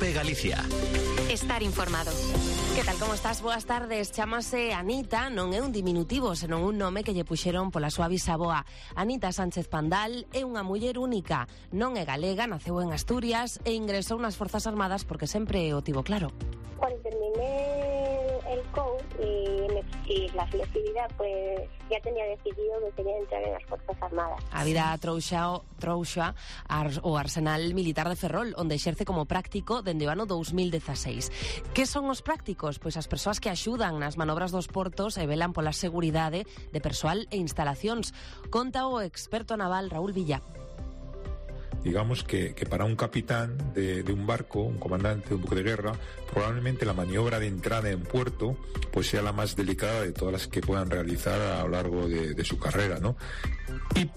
COPE Galicia. Estar informado. Que tal, como estás? Boas tardes. Chámase Anita, non é un diminutivo, senón un nome que lle puxeron pola súa bisaboa. Anita Sánchez Pandal é unha muller única. Non é galega, naceu en Asturias e ingresou nas Forzas Armadas porque sempre o tivo claro. Cuando terminé el COU y me exigí la selectividad, pues ya tenía decidido que quería entrar en las Fuerzas Armadas. A vida trouxa o Arsenal Militar de Ferrol, onde exerce como práctico dende o ano 2016. Que son os prácticos? Pois as persoas que axudan nas manobras dos portos e velan pola seguridade de persoal e instalacións. Conta o experto naval Raúl Villa. Digamos que para un capitán de un barco, un comandante, un buque de guerra, probablemente la maniobra de entrada en puerto pues sea la más delicada de todas las que puedan realizar a lo largo de su carrera, ¿no? Y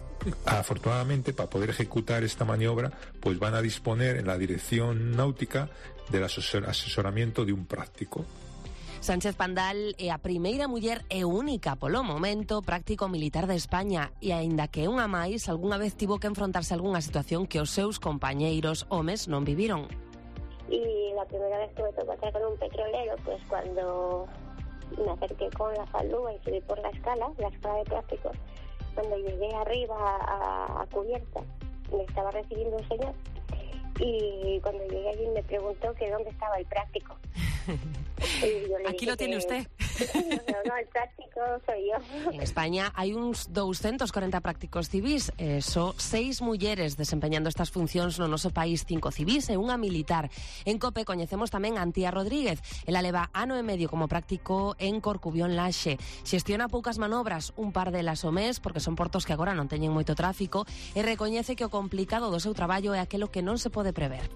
afortunadamente, para poder ejecutar esta maniobra, pues van a disponer en la dirección náutica del asesoramiento de un práctico. Sánchez Pandal é a primeira muller e única polo momento práctico militar de España e aínda que unha máis algunha vez tivo que enfrontarse a algunha situación que os seus compañeiros homes non viviron. Y la primera vez que me tocó estar con un petrolero, pues cuando me acerqué con la falúa y subí por la escala de prácticos, cuando llegué arriba a cubierta, me estaba recibiendo un señor y cuando llegué allí me preguntó que dónde estaba el práctico. Aquí lo tiene usted. No, el práctico soy yo. En España hai uns 240 prácticos civís, só 6 mulleres desempeñando estas funcións no noso país, 5 civís e unha militar. En COPE coñecemos tamén a Antía Rodríguez. Ela leva ano e medio como práctico en Corcubión Laxe. Xestiona poucas manobras, un par delas ao mes, porque son portos que agora non teñen moito tráfico, e recoñece que o complicado do seu traballo é aquilo que non se pode prever.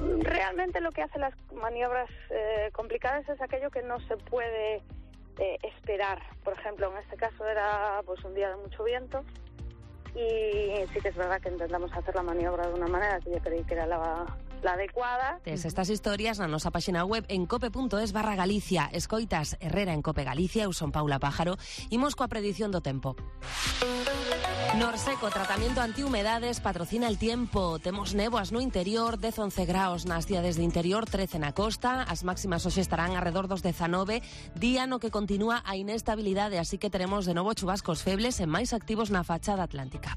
Realmente lo que hace las maniobras complicadas es aquello que no se puede esperar. Por ejemplo, en este caso era pues un día de mucho viento y sí que es verdad que intentamos hacer la maniobra de una manera que yo creí que era la adecuada. Tes estas historias na nosa página web en cope.es/Galicia. Escoitas Herrera en Cope Galicia, eu son Paula Pájaro. Imos coa predición do tempo. Norseco, tratamento antihumedades, patrocina el tiempo. Temos néboas no interior, 10-11 graus nas cidades de interior, 13 na costa. As máximas hoxe estarán alrededor dos 19, día no que continúa a inestabilidade, así que teremos de novo chubascos febles e máis activos na fachada atlántica.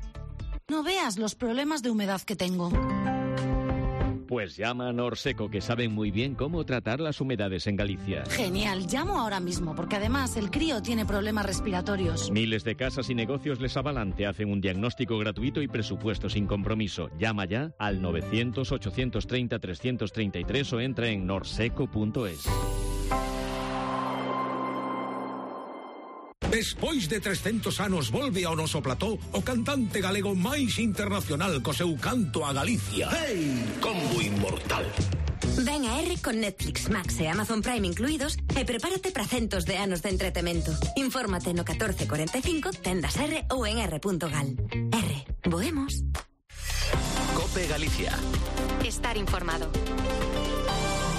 No veas los problemas de humedad que tengo. Pues llama a Norseco, que saben muy bien cómo tratar las humedades en Galicia. Genial, llamo ahora mismo, porque además el crío tiene problemas respiratorios. Miles de casas y negocios les avalan, te hacen un diagnóstico gratuito y presupuesto sin compromiso. Llama ya al 900-830-333 o entra en norseco.es. Despois de 300 anos volve ao noso plató o cantante galego máis internacional co seu canto a Galicia. Hey, combo inmortal. Ven a R con Netflix, Max e Amazon Prime incluídos e prepárate para centos de anos de entretemento. Infórmate no 1445, tendas R ou en r.gal. R, voemos. COPE Galicia. Estar informado.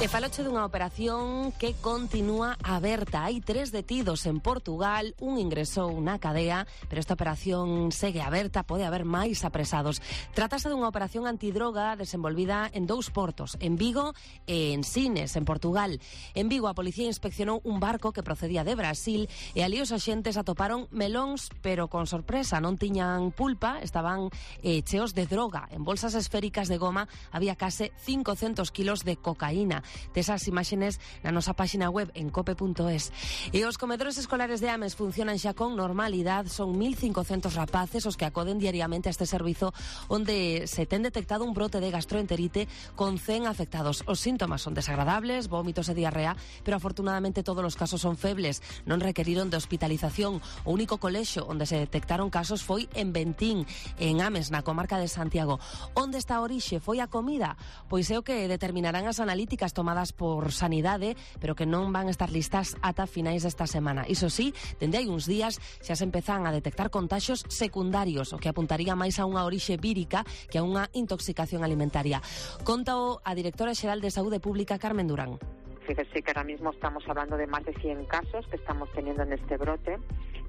E faloche dunha operación que continúa aberta. Hai 3 detidos en Portugal, un ingresou na cadea, pero esta operación segue aberta, pode haber máis apresados. Trátase dunha operación antidroga desenvolvida en 2 portos, en Vigo e en Sines, en Portugal. En Vigo a policía inspeccionou un barco que procedía de Brasil e ali os axentes atoparon melóns, pero con sorpresa, non tiñan pulpa, estaban cheos de droga. En bolsas esféricas de goma había case 500 kilos de cocaína. Tesas imaxes na nosa página web en cope.es. E os comedores escolares de Ames funcionan xa con normalidade. Son 1.500 rapaces os que acoden diariamente a este servizo, onde se ten detectado un brote de gastroenterite con 100 afectados. Os síntomas son desagradables, vómitos e diarrea, pero afortunadamente todos os casos son febles, non requeriron de hospitalización. O único colexio onde se detectaron casos foi en Bentín, en Ames, na comarca de Santiago. Onde está a orixe? Foi a comida? Pois é o que determinarán as analíticas tomadas por Sanidade, pero que non van a estar listas ata finais desta semana. Iso sí, dende hai uns días xa se empezan a detectar contaxios secundarios, o que apuntaría máis a unha orixe vírica que a unha intoxicación alimentaria. Contao a directora xeral de Saúde Pública, Carmen Durán. Fíjese que ahora mismo estamos hablando de más de 100 casos que estamos teniendo en este brote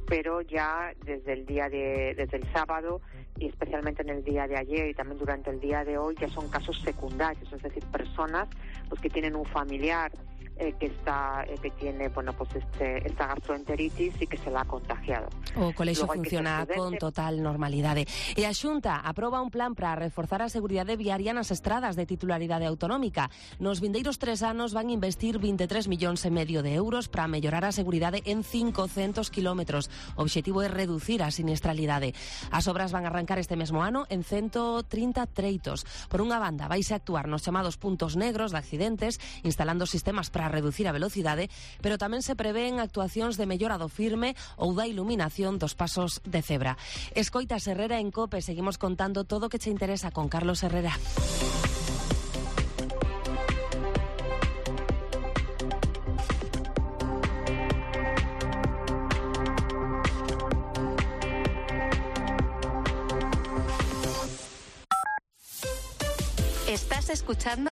pero ya desde el sábado y especialmente en el día de ayer y también durante el día de hoy ya son casos secundarios, es decir, personas pues que tienen un familiar que tiene esta gastroenteritis y que se la ha contagiado. O colexio funciona con total normalidade. E a Xunta aproba un plan para reforzar a seguridade viaria nas estradas de titularidade autonómica. Nos vindeiros 3 anos van investir 23,5 millóns de euros para mellorar a seguridade en 500 kilómetros. O obxectivo é reducir a siniestralidade. As obras van arrancar este mesmo ano en 130 treitos. Por unha banda, vaise actuar nos chamados puntos negros de accidentes, instalando sistemas para reducir a velocidade, pero tamén se prevén actuacións de mellora do firme ou da iluminación dos pasos de cebra. Escoitas Herrera en COPE, seguimos contando todo o que che interesa con Carlos Herrera. Estás escuchando